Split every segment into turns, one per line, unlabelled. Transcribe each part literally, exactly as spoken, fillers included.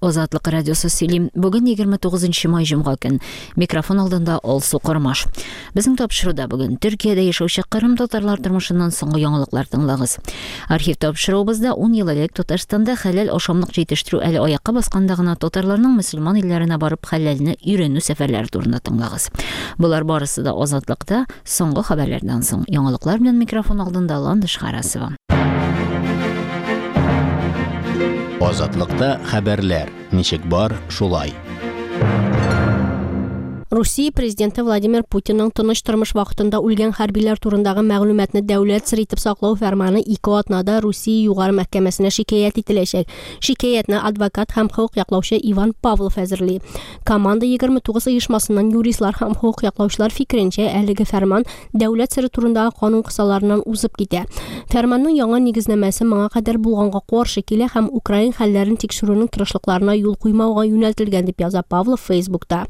Азатлык радиосы сөйли. Бүген егерме тугызынчы май җомга көн. Микрофон алдында Алсу Кормаш. Безнең тапшыруда бүген Төркиядә яшәүче Кырым татарлар тормышыннан соңгы яңалыклар тыңлагыз. Архив тапшыруыбызда ун ел элек Татарстанда хәләл ашамлык җитештерү әле аякка басканда гына татарларның мөселман илләренә барып хәләлне өйрәнү сәфәрләре турында тыңлагыз. Болар барысы да Азатлыкта соңгы хәбәрләрдән соң. Яңалыклар белән микрофон алдында Ландыш Харасова.
Азатлыкта хәбәрләр ничек бар, шулай.
Русия президенты Владимир Путинның тыныч тормыш вакытында үлгән хәрбиләр турындагы мәгълүматны дәүләт сер итеп саклау фәрманы ике атнада Русия югары мәхкәмәсенә шикаять ителәчәк. Шикаятны адвокат һәм хокук яклаучы Иван Павлов әзерли. Команда егерме тугыз оешмасыннан юристлар һәм хокук яклаучылар фикеренчә, әлеге фәрман дәүләт сере турындагы канун кысаларыннан узып китә. Фәрманның яңа нигезнамәсе моңа кадәр булганга каршы килә һәм Украин хәлләрен тикшерүнең тырышлыкларына юл куймауга юнәлтелгән дип яза Павлов Фейсбукта.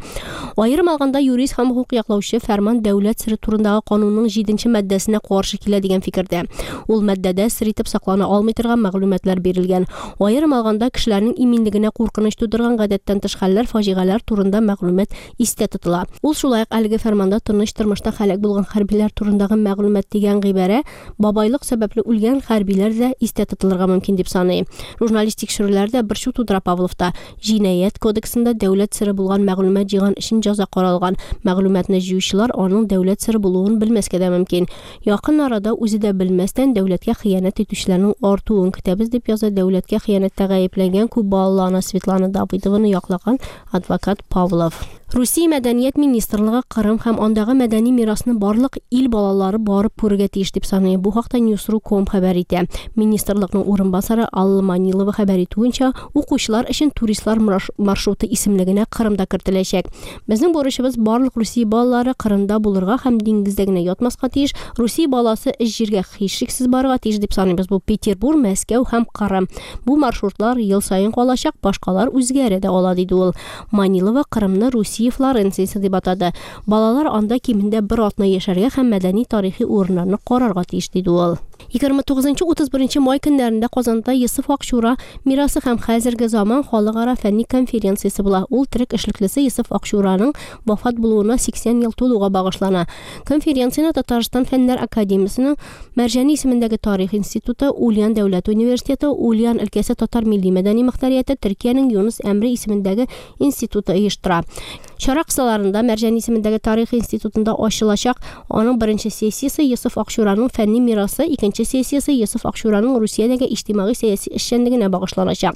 Аерым алганда юрист һәм хокук яклаучы фәрман дәүләт сере турындагы канунның җиденче маддәсенә каршы килә дигән фикердә. Ул маддәдә сер итеп саклана алмый торган мәгълүматлар бирелгән. Аерым алганда кешеләрнең иминлегенә куркыныч тудырган гадәттән тыш хәлләр, фаҗигаләр турында мәгълүмат истә тотыла. Ул шулай ук әлеге фәрманда тыныч тормышта һәлак булган хәрбиләр турындагы мәгълүмат дигән гыйбарә бабайлык сәбәпле үлгән хәрбиләр дә истә тотылырга мөмкин дип саный. Журналист тикшерүләр дә борчу тудыра Павловта. Җинаять кодексында дәүләт сере булган мәгълүмат җыйган өчен җәза каралган. Мәгълүматны җыючылар аның дәүләт сере булуын белмәскә дә мөмкин. Якын арада үзе дә белмәстән дәүләткә хыянәт итүчеләрнең артуын көтәбез дип яза дәүләткә хыянәттә гаепләнгән күп балалы ана Светлана Давыдованы яклаган адвокат Павлов. Русия мәдәният министрлыгы Кырым һәм андагы мәдәни мирасны барлык ил балалары барып күрергә тиеш дип саный. Бу хакта Newsru точка ком хәбәр итә. Министрлыкның урынбасары Алла Манилова хәбәр итүенчә, укучылар өчен туристлар маршруты исемлегенә Кырымда кертеләчәк. Безнең бурычыбыз барлык Русия балалары Кырымда булырга һәм диңгездә генә ятмаска тиеш. Русия баласы эш җиргә һичшиксез барырга тиеш дип саныйбыз. Бу Петербург, Мәскәү һәм Кырым. Бу маршрутлар ел саен калачак, башкалар үзгәрә дә ала, диде ул. Манилова Кырымны Русия Флоренциясе дип атады. Балалар анда кимендә бер атна яшәргә һәм мәдәни тарихи урыннарны карарга тиеш, диде ул. Егерме тугызынчы утыз беренче май көннәрендә Казанда Йосыф Акчура мирасы һәм хәзерге заман халыкара фәнни конференциясе була. Ул төрек эшлеклесе Йосыф Акчураның вафат булуына сиксән ел тулуга багышлана. Конференцияне Татарстан Фәннәр академиясенең Мәрҗани исемендәге тарих институты, Ульян дәүләт университеты, Ульян өлкәсе татар милли мәдәни мөхтәрияте, Төркиянең Юнус Әмре исемендәге институты оештыра. Чара кысаларында Мәрҗани исемендәге тарих институтында ачылачак аның беренче сессиясе Йосыф Акчураның фәнни мирасы, икенче сессиясе Йосыф Акчураның Русиядәге иҗтимагый сәяси эшчәнлегенә багышланачак.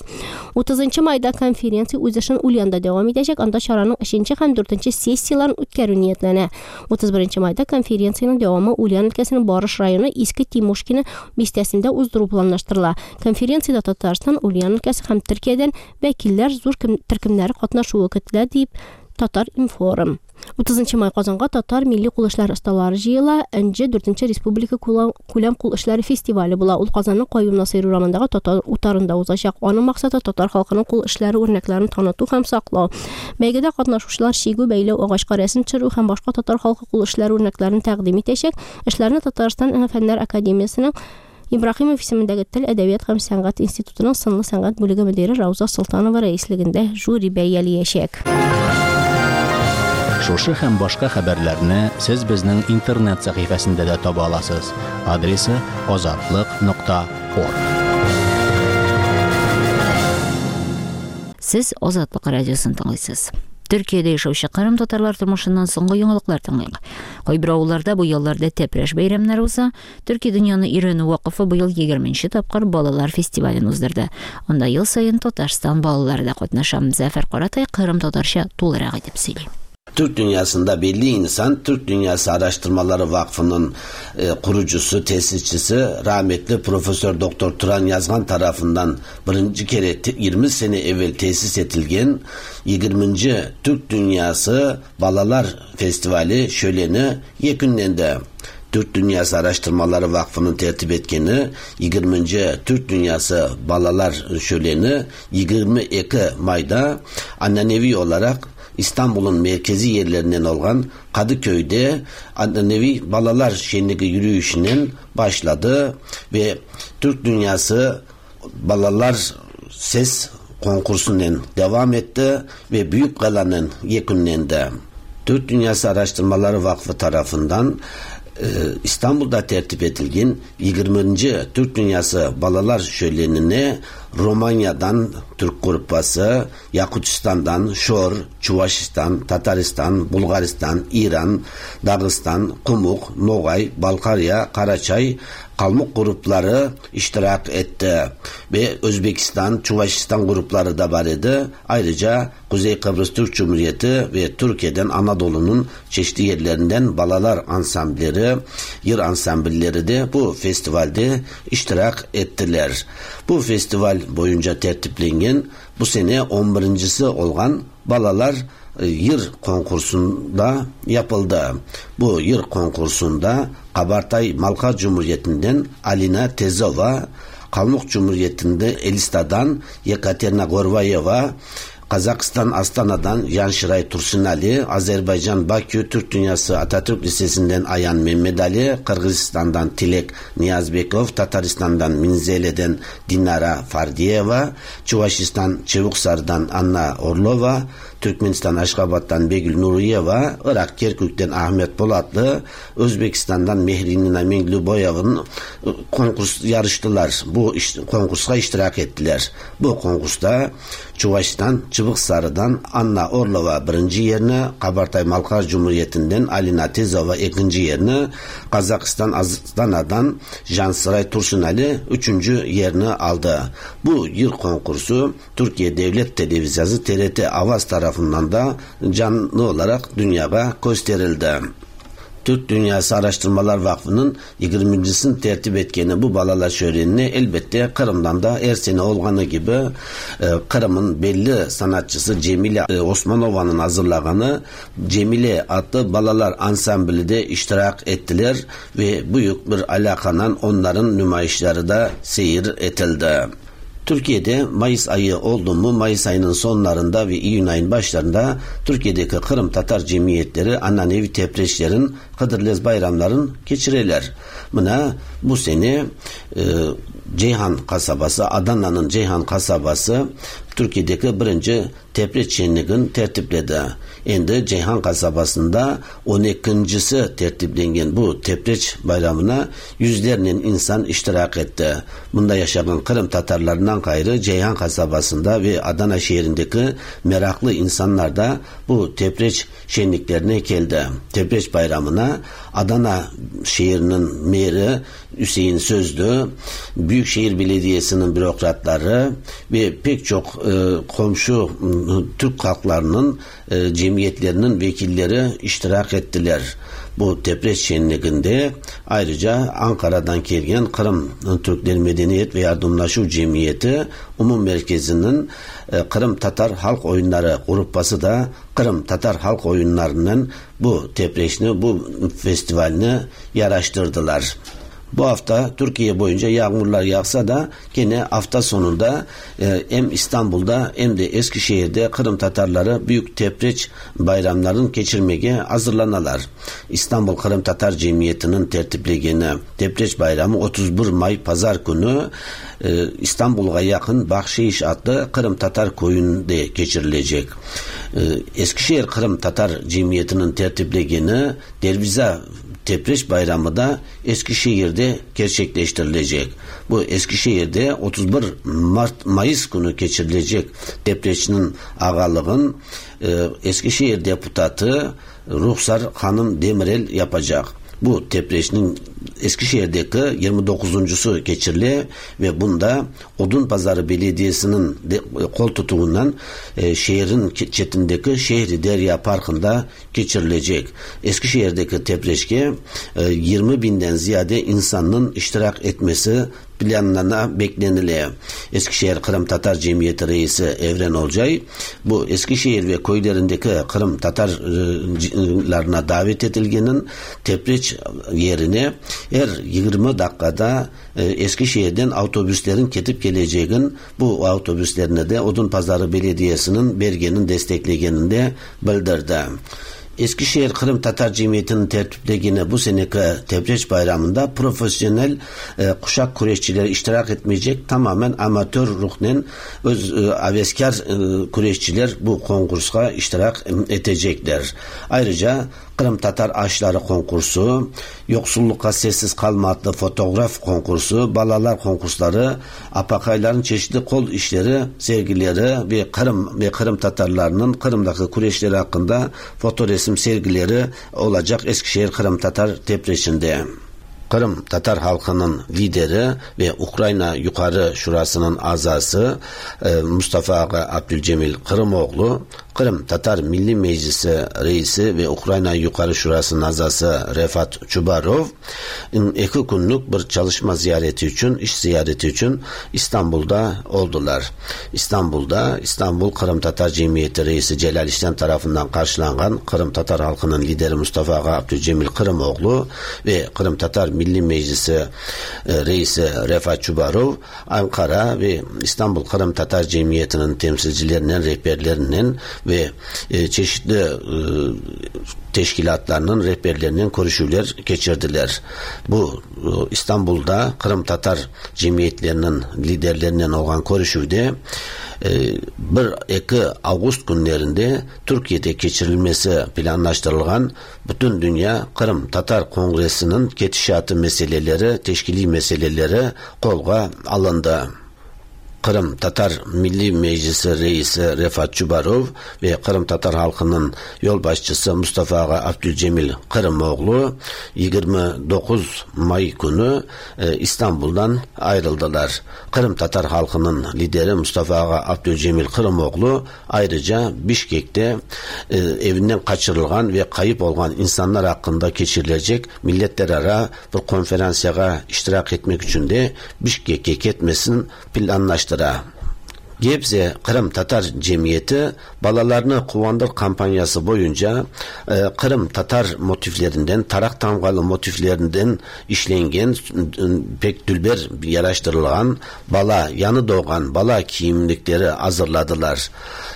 Утызынчы майда конференция үз эшен Ульянда дәвам итәчәк, анда чараның өченче һәм дүртенче сессияләрен үткәрү ниятләнә. Утыз беренче майда конференциянең дәвамы Ульян өлкәсенең Барыш районы Иске Тимушкино бистәсендә уздыру планлаштырыла. Конференциядә Татарстан, Ульян өлкәсе һәм Төркиядән вәкилләр зур төркемнәре катнашуы көтелә, дип Татар информ. Утызынчы май Казанга татар милли кул эшләре осталары җыела. Энҗе дүртенче республика күләм кул эшләре фестивале була. Ул Казанның Каюм Насыйри урамындагы татар утарында узачак. Аның максаты татар халкының кул эшләре үрнәкләрен таныту һәм саклау. Бәйгедә катнашучылар чигү, бәйләү, агачка рәсем төшерү һәм башка татар халкы кул эшләре үрнәкләрен тәкъдим итәчәк. Эшләрне Татарстан Фәннәр академиясенең Ибраһимов исемендәге тел, әдәбият һәм сәнгать институтының сынлы сәнгать бүлеге мөдире Рауза Солтанова рәислегендә жюри бәяләячәк.
Шушы һәм башка хәбәрләрне сез безнең интернет сәхифәсендә дә таба аласыз. Адресы азатлык нокта орг.
Сез Азатлык радиосын тыңлыйсыз. Төркиядә яшәүче Кырым татарлар тормышыннан соңгы яңалыклар тыңлыйк. Кайбер авылларда бу ялларда тәпрәш бәйрәмнәре уза. Төрки дөньяны өйрәнү вакыфы быел егерменче тапкыр балалар фестивален уздырды. Анда ел саен Татарстан балалары да катнаша. Зафар Каратай Кырым татарча тулырак итеп сөйли.
Türk dünyasında belli insan, Türk Dünyası Araştırmaları Vakfı'nın e, kurucusu, tesisçisi rahmetli Profesör Doktor Turan Yazgan tarafından birinci kere yirmi sene evvel tesis edilgen yirminci Türk Dünyası Balalar Festivali şöleni yekünlendi. Türk Dünyası Araştırmaları Vakfı'nın tertip etkeni yirminci Türk Dünyası Balalar Şöleni yirmi iki May'da annenevi olarak İstanbul'un merkezi yerlerinden olan Kadıköy'de annenevi Balalar Şenliği yürüyüşünün başladı ve Türk Dünyası Balalar Ses konkursunun devam etti ve büyük galanın yekünlendi. Türk Dünyası Araştırmaları Vakfı tarafından İstanbul'da tertip edilgen yigirminchi Türk Dünyası Balalar Şölenine Romanya'dan Türk grupası, Yakutistan'dan Şor, Çuvaşistan, Tataristan, Bulgaristan, İran, Dağıstan, Kumuk, Nogay, Balkarya, Karaçay, Kalmuk grupları iştirak etti. Ve Özbekistan, Çuvaşistan grupları da var idi. Ayrıca Kuzey Kıbrıs Türk Cumhuriyeti ve Türkiye'den Anadolu'nun çeşitli yerlerinden balalar ansamblleri, yır ansamblleri de bu festivalde iştirak ettiler. Bu festival boyunca tertiplengen bu sene on birincisi olan balalar yır konkursunda yapıldı. Bu yır konkursunda Kabartay Malka Cumhuriyeti'nden Alina Tezova, Kalmuk Cumhuriyeti'nde Elista'dan Yekaterina Gorvayeva, Kazakistan Astana'dan Yanşiray Tursunali, Azerbaycan Bakü Türk Dünyası Atatürk Lisesi'nden Ayan Mehmet Ali, Kırgızistan'dan Tilek Niyazbekov, Tataristan'dan Minzele'den Dinara Fardiyeva, Çuvaşistan Çevuksar'dan Anna Orlova, Türkmenistan Aşkabat'tan Begül Nuriyeva, Irak Kerkük'ten Ahmet Polatlı, Özbekistan'dan Mehrinina Mengluboyev'in konkurs yarıştılar. Bu iş, konkursa iştirak ettiler. Bu konkursta Çuvaşistan Çıbıksarı'dan Anna Orlova birinci yerini, Kabartay Malkar Cumhuriyeti'nden Alina Tezova ikinci yerini, Kazakistan Astana'dan Jansıray Tursunali üçüncü yerini aldı. Bu yıl konkursu Türkiye Devlet Televizyonu T R T Avaz tarafından da canlı olarak dünyaya gösterildi. Türk Dünyası Araştırmalar Vakfı'nın yigirmincisini tertip etkeni bu balalar şölenini elbette Kırım'dan da her sene olganı gibi Kırım'ın belli sanatçısı Cemile Osmanova'nın hazırlaganı Cemile adlı balalar ansambli de iştirak ettiler ve büyük bir alakanın onların nümayişleri de seyir etildi. Türkiye'de Mayıs ayı oldu mu Mayıs ayının sonlarında ve İyun ayının başlarında Türkiye'deki Kırım Tatar cemiyetleri ananevi tepreşlerin Hıdırlez bayramların geçirirler. Buna bu sene e, Ceyhan kasabası, Adana'nın Ceyhan kasabası Türkiye'deki birinci tepreç şenligini tertipledi. Endi Ceyhan kasabasında on ikincisi tertiplengen bu tepreç bayramına yüzlerle insan iştirak etti. Bunda yaşayan Kırım Tatarlarından gayrı Ceyhan kasabasında ve Adana şehrindeki meraklı insanlar da bu tepreç şenliklerine geldi. Tepreç bayramına Adana şehrinin meri Hüseyin Sözlü, Büyükşehir Belediyesi'nin bürokratları ve pek çok e, komşu Türk halklarının e, cemiyetlerinin vekilleri iştirak ettiler. Bu tepreç şenliğinde ayrıca Ankara'dan gelen Kırım Türkleri Medeniyet ve Yardımlaşma Cemiyeti Umum Merkezi'nin e, Kırım Tatar Halk Oyunları grupası da Kırım Tatar Halk Oyunlarının bu tepreçini, bu festivalini yaraştırdılar. Bu hafta Türkiye boyunca yağmurlar yağsa da gene hafta sonunda e, hem İstanbul'da hem de Eskişehir'de Kırım Tatarları büyük tepreç bayramlarını geçirmeye hazırlanalar. İstanbul Kırım Tatar Cemiyeti'nin tertiplegeni Tepreç Bayramı otuz bir May Pazar günü e, İstanbul'a yakın Bahşiş adlı Kırım Tatar köyünde geçirilecek. E, Eskişehir Kırım Tatar Cemiyeti'nin tertiplegeni Derviza Tepreç Bayramı da Eskişehir'de gerçekleştirilecek. Bu Eskişehir'de otuz bir Mart Mayıs günü geçirilecek Tepreç'in ağalığın e, Eskişehir deputatı Ruhsar Hanım Demirel yapacak. Bu Tepreç'in Eskişehir'deki yirmi dokuzuncusu geçirili ve bunda Odunpazarı Belediyesi'nin de, kol tutuğundan e, şehrin çetindeki Şehri Derya Parkı'nda geçirilecek. Eskişehir'deki Tepreç'e e, yirmi binden ziyade insanın iştirak etmesi planlarına bekleniliyor. Eskişehir Kırım Tatar Cemiyeti Reisi Evren Olcay bu Eskişehir ve köylerindeki Kırım Tatarlarına davet edilgenin Tepreç yerine her yirmi dakikada Eskişehir'den otobüslerin ketip geleceğin bu otobüslerine de Odunpazarı Belediyesi'nin belgenin desteklegenini de bildirdi. Eskişehir Kırım Tatar Cemiyeti'nin tertiplediğine bu seneki Tepreç Bayramı'nda profesyonel e, kuşak kureşçileri iştirak etmeyecek, tamamen amatör ruhnen öz e, aveskar e, kureşçiler bu konkursa iştirak edecekler. Ayrıca Kırım Tatar Aşları konkursu, Yoksullukka Sessiz Kalma adlı fotoğraf konkursu, balalar konkursları, apakayların çeşitli kol işleri, sergileri ve Kırım ve Kırım Tatarlarının Kırım'daki kureşleri hakkında foto resim sergileri olacak Eskişehir Kırım Tatar Tepreşi'nde. Kırım Tatar halkının lideri ve Ukrayna Yukarı Şurası'nın azası Mustafa Ağa Abdülcemil Kırımoğlu, Kırım Tatar Milli Meclisi Reisi ve Ukrayna Yukarı Şurası'nın azası Refat Çubarov, iki günlük bir çalışma ziyareti için, iş ziyareti için İstanbul'da oldular. İstanbul'da İstanbul Kırım Tatar Cemiyeti Reisi Celal İşlem tarafından karşılanan Kırım Tatar halkının lideri Mustafa Ağa Abdülcemil Kırımoğlu ve Kırım Tatar Milli Meclisi Reisi Refat Çubarov, Ankara ve İstanbul Kırım Tatar Cemiyeti'nin temsilcilerinin, rehberlerinin ve çeşitli teşkilatlarının rehberlerinin görüşüler geçirdiler. Bu İstanbul'da Kırım Tatar cemiyetlerinin liderlerinden olan görüşüde bir iki Ağustos günlerinde Türkiye'de geçirilmesi planlaştırılan Bütün Dünya Kırım Tatar Kongresi'nin ketişatı meseleleri, teşkili meseleleri kolga alındı. Kırım Tatar Milli Meclisi Reisi Refat Çubarov ve Kırım Tatar halkının yolbaşçısı Mustafa Ağa Abdülcemil Kırımoğlu yigirmi dokuz May günü İstanbul'dan ayrıldılar. Kırım Tatar halkının lideri Mustafa Ağa Abdülcemil Kırımoğlu ayrıca Bişkek'te evinden kaçırılan ve kayıp olan insanlar hakkında geçirilecek milletler ara bir konferansiyaga iştirak etmek için de Bişkek'e gitmesini planlaştırdı. Gebze Kırım Tatar Cemiyeti balalarını kuvandır kampanyası boyunca e, Kırım Tatar motiflerinden, tarak tamgalı motiflerinden işlengen pek dülber yaraştırılan bala, yanı doğan bala giyimlikleri hazırladılar.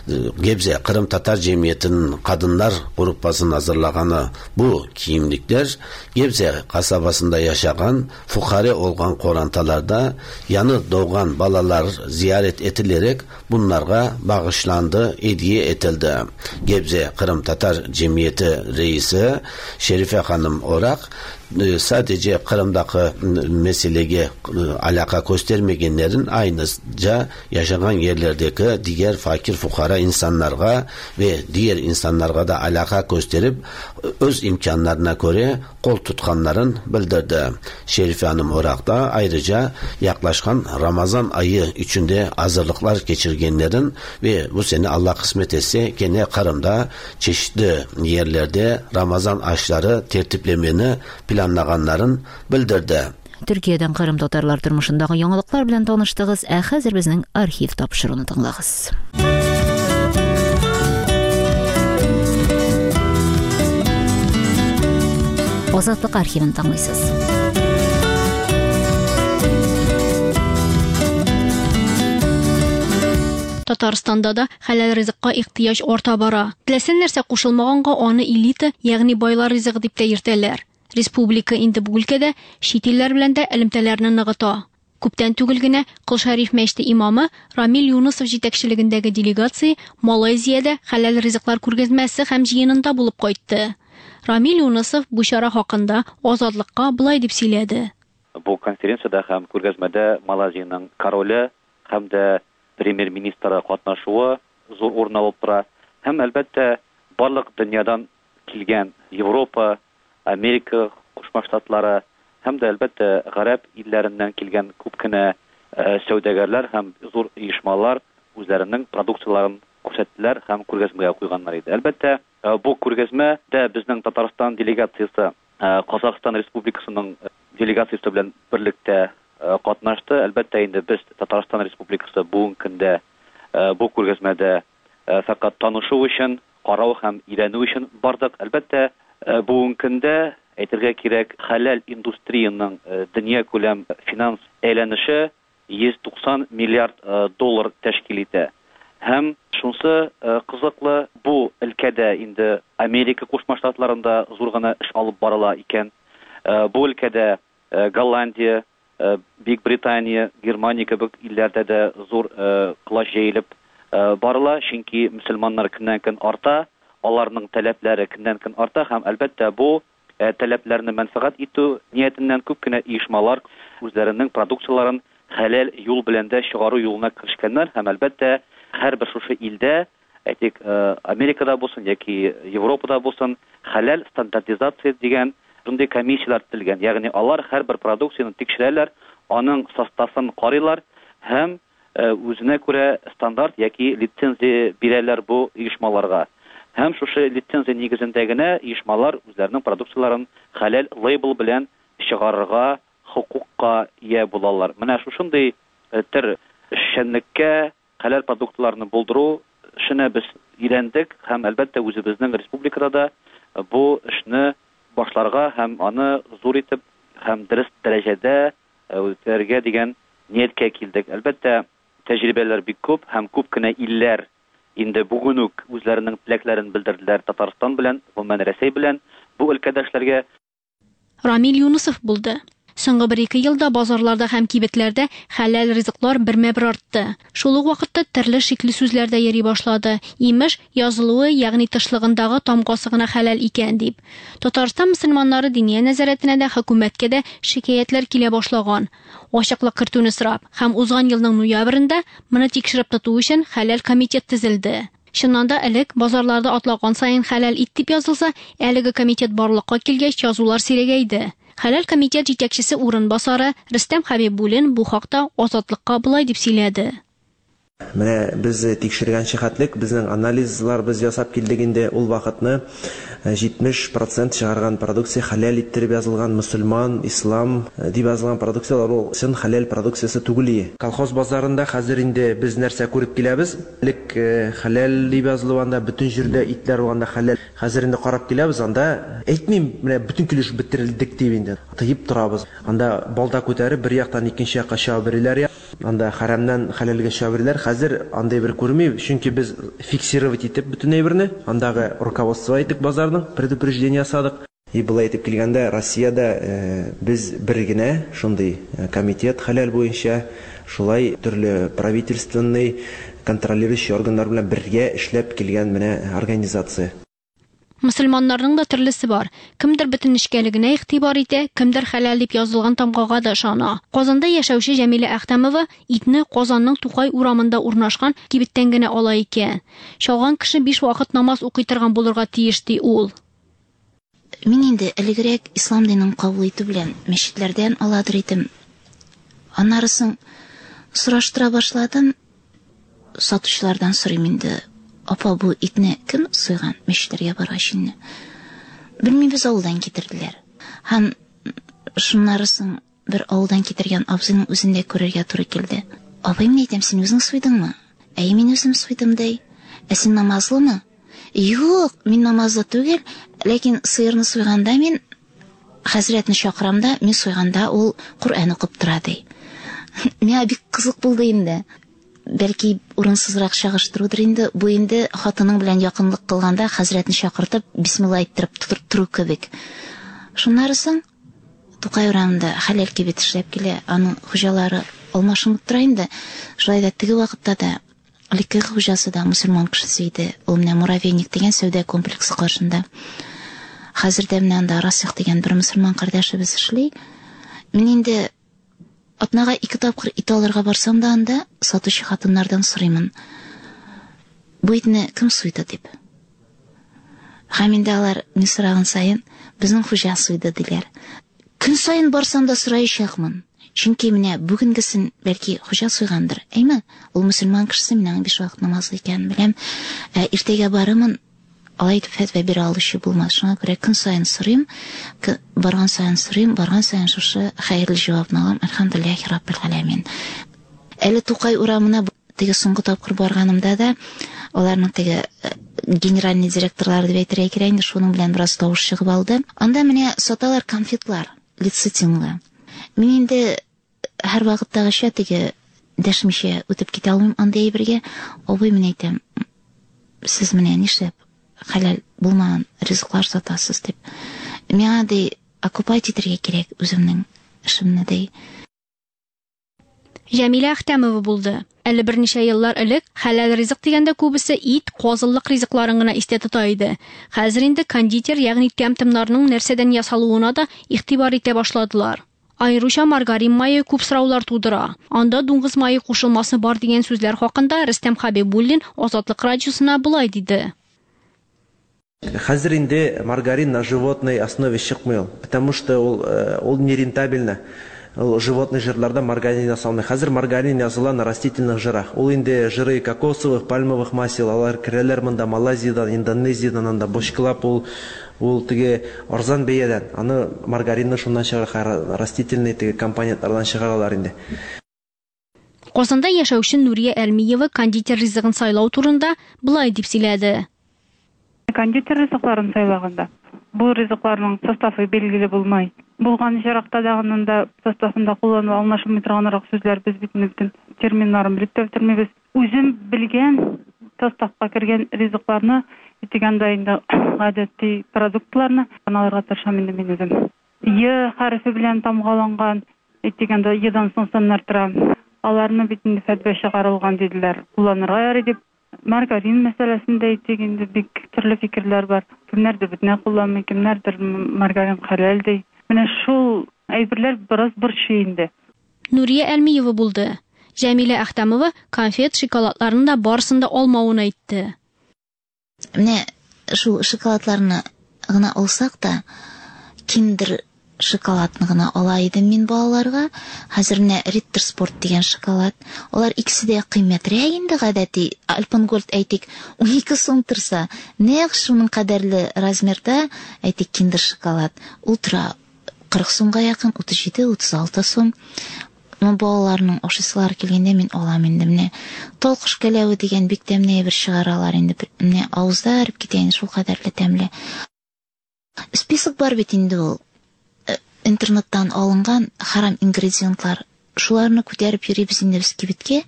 E, Gebze Kırım Tatar Cemiyeti'nin kadınlar grupasının hazırlaganı bu giyimlikler Gebze kasabasında yaşayan fukare olgan korantalarda yanı doğan balalar ziyaret edilerek bunlara bağışlandı, hediye etildi. Gebze Kırım Tatar Cemiyeti Reisi Şerife Hanım Orak sadece Kırım'daki meseleye alaka göstermegenlerin aynıca yaşanan yerlerdeki diğer fakir fukara insanlara ve diğer insanlara da alaka gösterip öz imkanlarına göre kol tutkanların bildirdi. Şerife Hanım Orak da ayrıca yaklaşan Ramazan ayı içinde hazırlıklar geçirgenlerin ve bu sene Allah kısmet etse gene Kırım'da çeşitli yerlerde Ramazan aşları tertiplemeni planlaganların bildirdi.
Türkiye'den Kırım Tatarlar turmuşundagı яңалыклар белән таныштыгыз. Ә хәзер безнең архив тапшыруны тыңлагыз. Азатлык архивын тыңлыйсыз.
Татарстанда да хәләл ризыкка ихтыяҗ арта бара. Теләсә нәрсә кушылмаганга аны элита, ягъни байлар ризыгы дип тә йөртәләр. Республика инде бу өлкәдә чит илләр белән дә элемтәләрне ныгыта. Күптән түгел генә Кол Шәриф мәчете имамы Рамил Юнысов җитәкчелегендәге делегация Малайзиядә хәләл ризыклар күргәзмәсе һәм җыенында булып кайтты. Рамил Юнысов бу чара хакында Азатлыкка былай дип сөйләде.
Бу конференциядә һәм күргәзмәдә Малайзиянең короле һәм дә премьер-министры катнашуы зур урын алып тора. Һәм әлбәттә барлык дөньядан килгән Европа, Америка Кушма Штатлары һәм дә әлбәттә гарәп илләреннән килгән күп кенә сәүдәгәрләр һәм зур оешмалар үзләренең продукцияларын күрсәттеләр һәм күргәзмәгә куйганнар иде. Әлбәттә, бу күргәзмәдә безнең Татарстан делегациясе Казахстан Республикасының делегациясе белән берлектә катнашты. Әлбәттә, инде без Татарстан Республикасы бүгенге көндә бу күргәзмәдә фәкать танышу өчен, карау һәм өйрәнү өчен бардык. Әлбәттә, бүгенге көндә әйтергә кирәк, хәләл индустрияның дөнья күләм финанс әйләнеше йөз туксан миллиард доллар тәшкил итә. Һәм шунысы кызыклы, бу өлкәдә инде Америка Кушма Штатларында зур гына эш алып барыла икән. Бу өлкәдә Голландия, Бөек Британия, Германия кебек илләрдә дә зур колач җәелеп барыла, чөнки мөселманнар көннән-көн арта, аларның таләпләре көннән-көн арта һәм әлбәттә бу таләпләрне мәнфәгать итү ниятеннән күп кенә оешмалар үзләренең продукцияләрен хәләл юл белән дә чыгару юлына керешкәннәр һәм әлбәттә һәрбер шушы илдә, әйтик, Америкада булсын яки Европада булсын, хәләл стандартизация дигән шундый комиссияләр төзелгән. Ягъни алар һәрбер продукцияне тикшерәләр, аның составын карыйлар һәм үзенә күрә стандарт яки лицензия бирәләр бу оешмаларга. Һәм шушы лицензия нигезендә генә оешмалар үзләренең продукцияләрен хәләл лейбл белән чыгарырга хокукка ия булалар. Менә шушындый төр эшчәнлеккә хәләл продуктларны булдыру эшенә без өйрәндек һәм әлбәттә үзебезнең республикада да бу эшне башларга һәм аны зур итеп һәм дөрес дәрәҗәдә үткәрергә дигән нияткә килдек. Әлбәттә, тәҗрибәләр бик күп һәм күп кенә илләр инде бүген үк үзләренең теләкләрен белдерделәр Татарстан белән, гомумән Рәсәй белән бу өлкәдә эшләргә.
Рамил Юнусов булды. Соңгы бер-ике елда базарларда һәм кибетләрдә хәләл ризыклар бермә-бер артты. Шул ук вакытта төрле шикле сүзләр дә йөри башлады. Имеш, язылуы, ягъни тышлыгындагы тамгасы гына хәләл икән дип. Татарстан мөселманнары диния нәзарәтенә дә, хөкүмәткә дә шикаятьләр килә башлаган. Ачыклык кертүне сорап һәм узган елның ноябрендә моны тикшереп тоту өчен хәләл комитет төзелде. Чыннан да элек базарларда атлаган саен хәләл ит дип язылса, әлеге комитет барлыкка килгәч язулар сирәгәйде. Хәләл комитет җитәкчесе урынбасары Рөстәм Хәбибуллин бу хакта Азатлыкка болай дип сөйләде.
Менә без тикшергән чыгатлык, безнең анализлар без ясап килдек инде ул вакытны җитмеш процент чыгарган продукция хәләл иттереп язылган мөселман, ислам дип язылган продукцияләр ул чын хәләл продукциясе түгел. Колхоз базарында хәзер инде без нәрсә күреп киләбез? Элек хәләл дип язылып анда бөтен җирдә итләр булганда хәләл. Хәзер инде карап киләбез, анда әйтмим, менә бөтен килеш бетерелдек дип инде. Тыеп торабыз. Анда балта күтәреп бер яктан икенче якка чыга бирәләр. Анда хәрамнан хәләлгә чыга бирәләр. Хәзер андай бер күрмим, чөнки без фиксировать итеп бөтен әйберне, андагы руководство итеп базарның предупреждение ясадык. И былай итеп килгәндә Россиядә без бер генә шундый комитет хәләл буенча шулай төрле правительственный контролирующий органнар белән бергә эшләп килгән менә организация.
Мөселманнарның да төрлесе бар. Кемдер бөтен нечкәлегенә игътибар итә, кемдер хәләл дип язылган тамгага да ышана. Казанда яшәүче Җәмилә Әхтәмова итне Казанның Тукай урамында урнашкан кибеттән генә ала икән. Чалган кеше биш вакыт намаз укый торган булырга тиеш, ди ул.
Мин инде элегрәк ислам динен кабул итү белән мәчетләрдән аладыр идем. Аннары соң сораштыра башладым. Сатучылардан сорыйм инде. Апа, бу итне кем суйган мәчетләргә баргач инде? Белмибез, авылдан китерделәр. Һәм шуннары соң бер авылдан китергән абзыйның үзен дә күрергә туры килде. Абый, мин әйтәм, син үзең суйдыңмы? Әй, мин үзем суйдым, ди. Ә син намазлымы? Юк, мин намазлы түгел, ләкин сыерны суйганда мин хәзрәтне чакырам да, мин суйганда ул Коръән укып тора, ди. Миңа бик кызык булды инде. Бәлки урынсызрак чагыштырудыр инде, бу инде хатының белән якынлык кылганда хәзрәтне чакыртып бисмилла әйттереп тору кебек. Шуннары соң Тукай урамында хәләл кибет эшләп килә, аның хуҗалары алмашынып тора инде. Шулай да теге вакытта да элекке хуҗасы да мөселман кешесе иде. Ул менә Муравейник дигән сәүдә комплексы каршында. Хәзер дә менә анда Расих дигән бер мөселман кардәшебез эшли. Мин инде атнага ике тапкыр ит алырга барсам да анда сатучы хатыннардан сорыймын. Бу итне кем суйды дип. Һәм инде алар мин сораган саен безнең хуҗа суйды диләр. Көн саен барсам да сораячакмын. Чөнки менә бүгенгесен бәлки хуҗа суйгандыр. Әйме? Ул мөселман кешесе, мин аның биш вакыт намазлы икәнен беләм. Ә, иртәгә барымын, алай итеп фәтва бирә алучы булмас. Шуңа күрә көн саен сорыйм, барган саен сорыйм, барган саен шушы хәерле җавапны алам. Әлхәмдүлилләһи раббил галәмин. Әле Тукай урамына теге соңгы тапкыр барганымда да аларның теге генеральный директорлары дип әйтергә кирәк инде, шуның белән бераз тавыш чыгып алды. Анда менә саталар конфетлар, лецитинлы. Мин инде һәр вакыттагыча теге дәшмичә үтеп китә алмыйм андый әйбергә. Абый, мин әйтәм, сез менә нишләп хәләл булмаган ризыклар сатасыз дип. Миңа ди окупать итәргә кирәк үземнең эшемне ди.
Җәмилә Әхтәмова булды. Әле берничә еллар элек хәләл ризык дигәндә күбесе ит, казыллык ризыкларын гына истә тота иде. Хәзер инде кондитер, ягъни тәм-томнарның нәрсәдән ясалуына да игътибар итә башладылар. Аеруча маргарин мае күп сораулар тудыра. Анда дуңгыз мае кушылмасы бар дигән сүзләр хакында Рөстәм Хәбибуллин Азатлык радиосына болай диде.
Хәзер инде маргарин на животной основе чыкмый ул, потому что ул, ул нерентабельно. Ул животный жирларда маргарин ясалмый. Хәзер маргарин языла на растительных жирах. Ул инде жиры кокосовых, пальмовых масел, алар керәләр монда Малайзиядән, Индонезиядән, анда бочкалап ул, ул теге арзан бәядән. Аны маргаринны шуннан чыгара, растительный теге компонентлардан чыгаралар инде.
Казанда яшәүче Нурия Әлмиева кондитер ризыгын сайлау турында болай дип сөйләде.
Кондитер ризыкларын сайлаганда бу ризыкларның составы билгеле булмай. Булган очракта да анда составында кулланыла аңлашылмый торганрак сүзләр, без бит бөтен терминнарын белеп тә бетермибез. Үзем белгән составка кергән ризыкларны, дигәндә инде гадәти продуктларны алырга тырышам инде мин үзем. Е хәрефе белән тамгаланган, дигәндә едан соң саннар тора. Аларны бит инде фәтвә чыгарылган диделәр. Кулланырга ярый дип. Маргарин мәсьәләсендә әйтик инде бик төрле фикерләр бар. Кемнәрдер бөтенләй кулланмый, кемнәрдер маргарин хәләл ди. Менә шул әйберләр бераз борчый инде.
Нурия Әлмиева булды. Җәмилә Әхтәмова конфет, шоколадларны да барысын да алмавын әйтте.
Менә шул шоколадларны гына алсак та, Киндер шоколадны гына ала идем мин балаларга. Хәзер менә Риттер Спорт дигән шоколад. Алар икесе дә кыйммәтрәк инде гадәти. Альпенгольд әйтик, унике сум торса, нәкъ шуның кадәрле размерда, әйтик, Киндер шоколад. Ул тора кырык сумга якын, утыз җиде, утыз алты сум. Ну, балаларның ашыйсылары килгәндә мин алам инде. Менә талкыш кәләве дигән бик тәмле бер чыгаралар инде. Менә авызда эреп китә инде, шул кадәрле тәмле. Список бар бит инде ул. Интернеттан алынган харам ингредиентлар. Шуларны күтәреп йөрибез инде без кибеткә.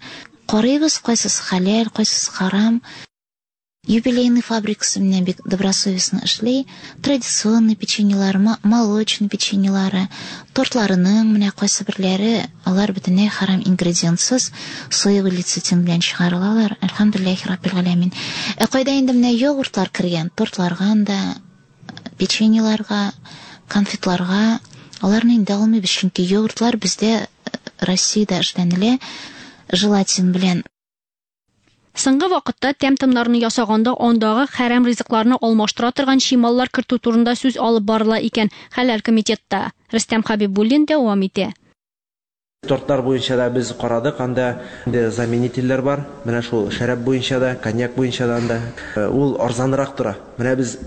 Карыйбыз, кайсысы хәләл, кайсысы харам. Юбилейный фабрикасы менә бик добросовестно эшли. Традиционный печеньелар, молочный печеньелары, тортларының менә кайсы берләре, алар бөтенләй харам ингредиентсыз, соевый лецитин белән чыгарылалар. Әлхәмдүлилләһи раббил галәмин. Ә кайда инде менә йогуртлар кергән, тортларга да, печеньеларга, конфетларга, аларны инде алмыйбыз, чөнки йогуртлар бездә Россиядә эшләнелә желатин белән.
Соңгы вакытта тәм-томнарны ясаганда андагы хәрам ризыкларны алмаштыра торган чималлар кертү турында сүз алып барыла икән Хәләл комитетта. Рөстәм Хәбибуллин дәвам итә.
Тортлар буенча да без карадык, анда инде заменительләр бар. Менә шул шәраб буенча да, коньяк буенча да анда ул арзанрак тора. Менә без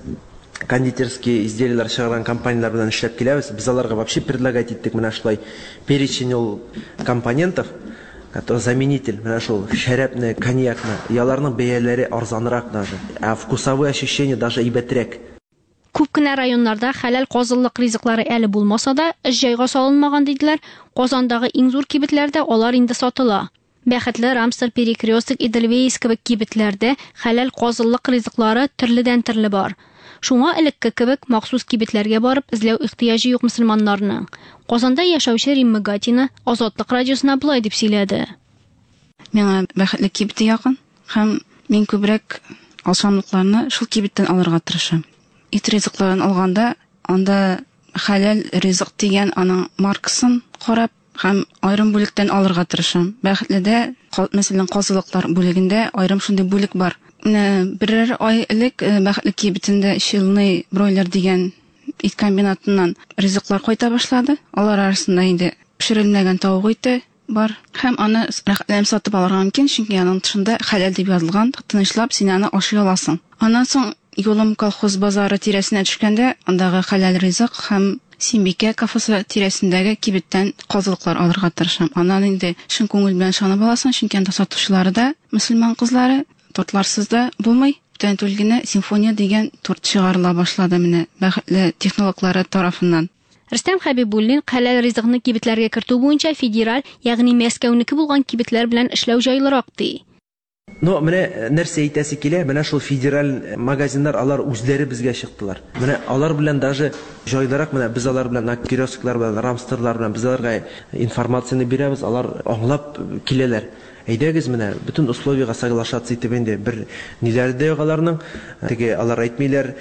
кондитерские изделияләр чыгарган компанияләр белән эшләп киләбез. Без аларга вообще предлагать иттек менә шулай перечень ул компонентов, который заменитель, менә шул шәрабны, коньякны, и аларның бәяләре арзанрак даже, а вкусовые ощущения даже әйбәтрәк.
Күп кенә районнарда хәләл казыллык ризыклары әле булмаса да, эш җайга салынмаган диделәр. Казандагы иң зур кибетләрдә алар инде сатыла. Бәхетле, Рамстер, Перекресток, Эдельвейс кебек кибетләрдә хәләл казыллык ризыклары төрледән төрле бар. Шуңа элекке кебек махсус кибетләргә барып эзләү ихтыяҗы юк мөселманнарның. Казанда яшәүче Римма Гатина Азатлык радиосына болай дип сөйләде.
Миңа Бәхетле кибете якын һәм мин күбрәк ашамлыкларны шул кибеттән алырга тырышам. Ит ризыкларын алганда анда хәләл ризык дигән аның маркасын карап һәм аерым бүлектән алырга тырышам. Бәхетледә, мәсәлән, казылыклар бүлегендә аерым шундый бүлек бар. Менә берәр ай элек Бәхетле кибетендә Челны бройлер дигән ит комбинатыннан ризыклар кайта башлады. Алар арасында инде пешерелмәгән тавык ите бар. Һәм аны рәхәтләнеп сатып алырга мөмкин, чөнки аның тышында хәләл дип язылган, тынычлап син аны ашый аласың. Аннан соң юлым колхоз базары тирәсенә төшкәндә, андагы хәләл ризык һәм Симбикә кафесы тирәсендәге кибеттән казылыклар алырга тырышам. Аннан инде чын күңел белән ышанып аласың, чөнки анда сатучылары да мөселман кызлары, тортларсыз да булмый. Бүтән түгел генә симфония дигән торт чыгарыла башлады менә Бәхетле технологлары тарафыннан.
Рөстәм Хәбибуллин хәләл ризыкны кибетләргә кертү буенча федераль, ягъни Мәскәүнеке булган кибетләр белән эшләү җайлырак ди.
Но менә нәрсә әйтәсе килә, менә шул федераль магазиннар алар үзләре безгә чыктылар. Менә алар белән даже җайлырак, менә без алар белән киосклар белән, рамстерлар белән без аларга информацияне бирәбез, алар аңлап киләләр. Әйдәгез менә бөтен условиягә соглашаться итеп инде бер ниләре дә юк аларның. Теге алар әйтмиләр,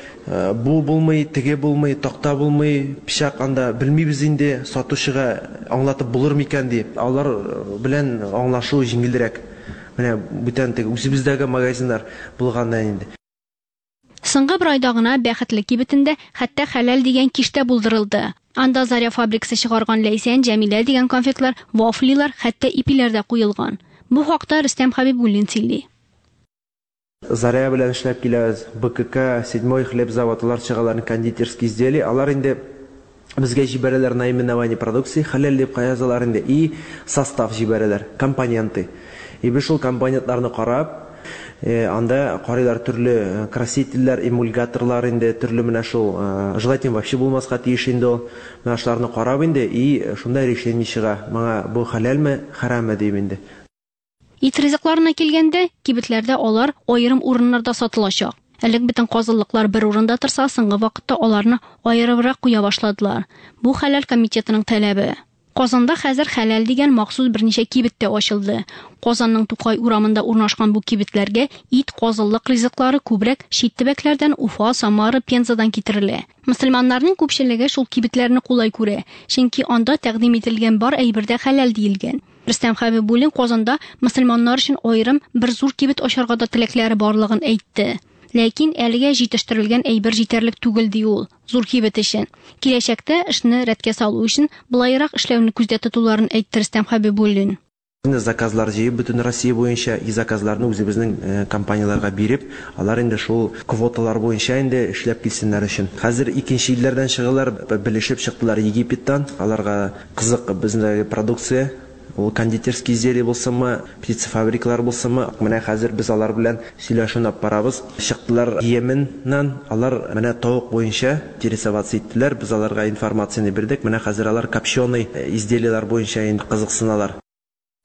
бу булмый, теге булмый, такта булмый, пычак анда белмибез инде, сатучыга аңлатып булыр микән дип. Алар белән аңлашу җиңелрәк. Менә бүтән теге үзебездәге магазиннар булганнан инде.
Соңгы бер айда гына Бәхетле кибетендә хәтта хәләл дигән киштә булдырылды. Анда Заря фабрикасы чыгарган Ләйсән, Җәмилә дигән конфетлар, вафлилар, хәтта ипиләр дә куелган. Бу хакта Рөстәм Хәбибуллин сөйли.
Заря белән эшләп киләбез. БКК, седьмой хлеб заводлар чыгалар кондитерские изделия. Алар инде безгә җибәрәләр наименование продукции, хәләл дип язалар инде и состав җибәрәләр, компоненты. И без шул компонентларны карап, анда карыйлар төрле красительләр, эмульгаторлар инде, төрле менә шул желатин вообще булмаска тиеш инде ул. Менә шуларны карап инде и шунда решение чыга. Моңа бу хәләлме, хәраммы дип инде.
Ит ризыкларына килгәндә, кибетләрдә алар аерым урыннарда сатылачак. Элек бөтен казылыклар бер урында торса, соңгы вакытта аларны аерыбрак куя башладылар. Бу хәләл комитетының таләбе. Казанда хәзер хәләл дигән махсус берничә кибет тә ачылды. Казанның Тукай урамында урнашкан бу кибетләргә ит, казылык ризыклары күбрәк чит төбәкләрдән Уфа, Самара, Пензадан китерелә. Мөселманнарның күпчелеге шул кибетләрне кулай күрә, чөнки анда тәкъдим ителгән бар әйбер дә хәләл диелгән. Рөстәм Хәбибуллин Казанда мөселманнар өчен аерым бер зур кибет ачарга да теләкләре барлыгын әйтте. Ләкин әлегә җитештерелгән әйбер җитәрлек түгел ди ул, зур кибет өчен. Киләчәктә эшне рәткә салу өчен былайрак эшләүне күздә тотуларын әйтте Рөстәм Хәбибуллин.
Заказлар җыеп бөтен Россия буенча и заказларны үзебезнең компанияләргә биреп, алар инде шул квоталар буенча инде эшләп килсеннәр өчен. Хәзер икенче илләрдән чыгалар, белешеп чыктылар Египеттан. Аларга кызык безнең продукция. Ул кондитерский изделие булсынмы, птицефабрикалар булсынмы, менә хәзер без алар белән сөйләшүне алып барабыз. Чыктылар Йеменнән, алар менә тавык буенча интересоваться иттеләр, без аларга информацияне бирдек. Менә хәзер алар копченый изделиелар буенча инде кызыксыналар.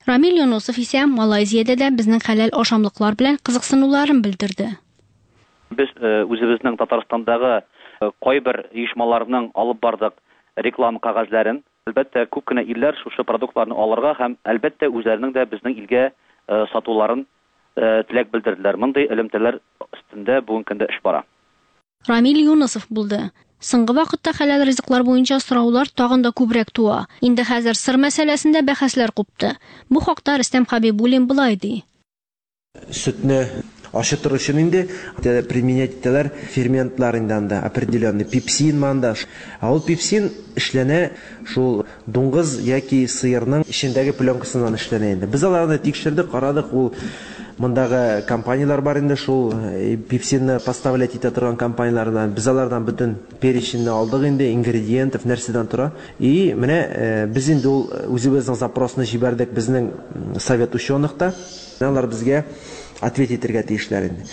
Рамил Юнусов исә Малайзиядә дә безнең хәләл ашамлыклар белән кызыксынуларын белдерде.
Без үзебезнең Татарстандагы кайбер оешмаларның алып бардык реклама кәгазьләрен. Әлбәттә, күп кенә илләр шушы продуктларны алырга һәм әлбәттә үзләренең дә безнең илгә сатуларын теләк белдерделәр. Мондый элемтәләр өстендә бүгенге көндә эш бара.
Рамил Юнусов булды. Соңгы вакытта хәләл ризыклар буенча сораулар тагын да күбрәк туа. Инде хәзер сыр мәсьәләсендә бәхәсләр купты. Бу хакта Рөстәм Хәбибуллин былай ди.
Сөтне ашытыр өчен инде применять итәләр ферментлар инде анда определенный пепсин манда. Ә ул пепсин эшләнә шул дуңгыз яки сыерның эчендәге пленкасыннан эшләнә инде. Без аларны тикшердек, карадык, ул мондагы компаниялар бар инде шул пепсинны поставлять итә торган компаниялардан. Без алардан бөтен переченьне алдык инде, ингредиентов нәрсәдән тора. И менә без инде ул үзебезнең запросны җибәрдек безнең совет ученыхта. Алар безгә ответ итәргә тиешләр инде.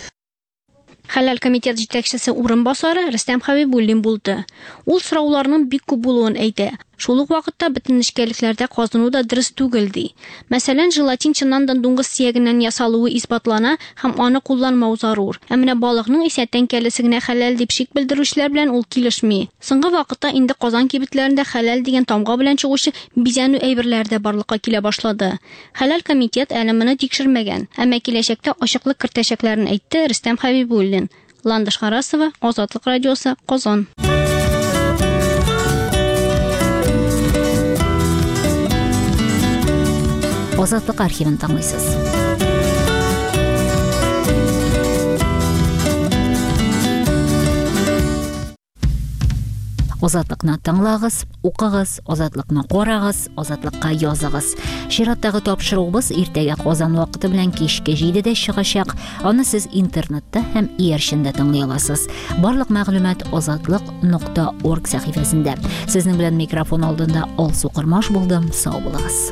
Хәләл комитет җитәкчесе урынбасары Рөстәм Хәбибуллин булды. Ул сорауларның бик күп булуын әйтә. Шул ук вакытта бөтен нечкәлекләрдә казыну да дөрес түгел ди. Мәсәлән, желатин чыннан да дуңгыз сөягеннән ясалуы исбатлана һәм аны кулланмау зарур. Ә менә балыкның исә тәңкәлесе генә хәләл дип шик белдерүчеләр белән ул килешми. Соңгы вакытта инде Казан кибетләрендә хәләл дигән тамга белән чыгучы бизәнү әйберләре дә барлыкка килә башлады. Хәләл комитет әле моны тикшермәгән, әмма киләчәктә ачыклык кертәчәкләрен әйтте Рөстәм Хәбибуллин. Ландыш Харасова, Азатлык радиосы, Казан.
Азатлык архивын тыңлыйсыз. Азатлыкны тыңлагыз, укыгыз, Азатлыкны карагыз, Азатлыкка языгыз. Чираттагы тапшыруыбыз иртәгә Казан вакыты белән кичке җидедә чыгачак. Аны сез интернетта һәм иярчендә тыңлый аласыз. Барлык мәгълүмат азатлык нокта орг сәхифәсендә. Сезнең белән микрофон алдында Алсу Кормаш булдым. Сау булыгыз.